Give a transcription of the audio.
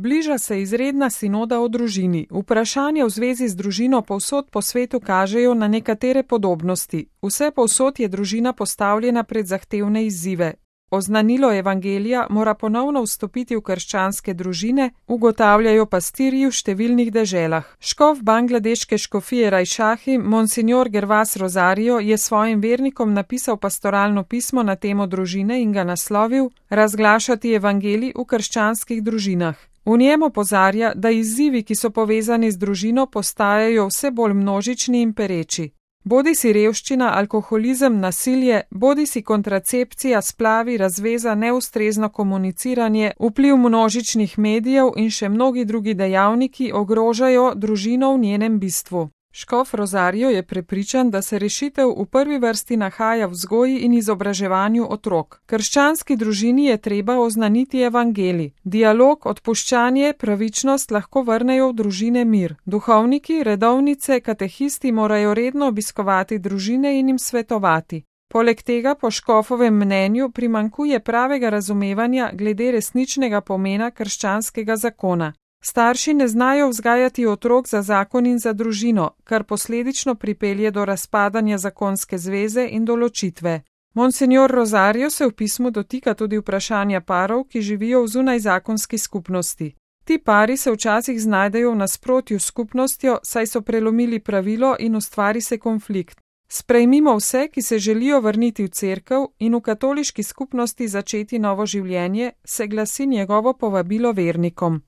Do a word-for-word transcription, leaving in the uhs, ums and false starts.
Bliža se izredna sinoda o družini. Vprašanja v zvezi z družino povsod po svetu kažejo na nekatere podobnosti. Vse povsod je družina postavljena pred zahtevne izzive. Oznanilo evangelija mora ponovno vstopiti v krščanske družine, ugotavljajo pastirji v številnih deželah. Škof bangladeške škofije Rajšahi, monsignor Gervas Rosario, je svojim vernikom napisal pastoralno pismo na temo družine in ga naslovil Razglašati evangelij v krščanskih družinah. V njem opozarja, da izzivi, ki so povezani z družino, postajajo vse bolj množični in pereči. Bodi si revščina, alkoholizem, nasilje, bodi si kontracepcija, splavi, razveza, neustrezno komuniciranje, vpliv množičnih medijev in še mnogi drugi dejavniki ogrožajo družino v njenem bistvu. Škof Rosario je prepričan, da se rešitev v prvi vrsti nahaja v vzgoji in izobraževanju otrok. Krščanski družini je treba oznaniti evangelij. Dialog, odpuščanje, pravičnost lahko vrnejo v družine mir. Duhovniki, redovnice, katehisti morajo redno obiskovati družine in jim svetovati. Poleg tega po škofovem mnenju primanjkuje pravega razumevanja glede resničnega pomena krščanskega zakona. Starši ne znajo vzgajati otrok za zakon in za družino, kar posledično pripelje do razpadanja zakonske zveze in do ločitve. Monsignor Rosario se v pismu dotika tudi vprašanja parov, ki živijo v zunajzakonski skupnosti. Ti pari se včasih znajdejo v nasprotju s skupnostjo, saj so prelomili pravilo in ustvari se konflikt. Sprejmimo vse, ki se želijo vrniti v cerkev in v katoliški skupnosti začeti novo življenje, se glasi njegovo povabilo vernikom.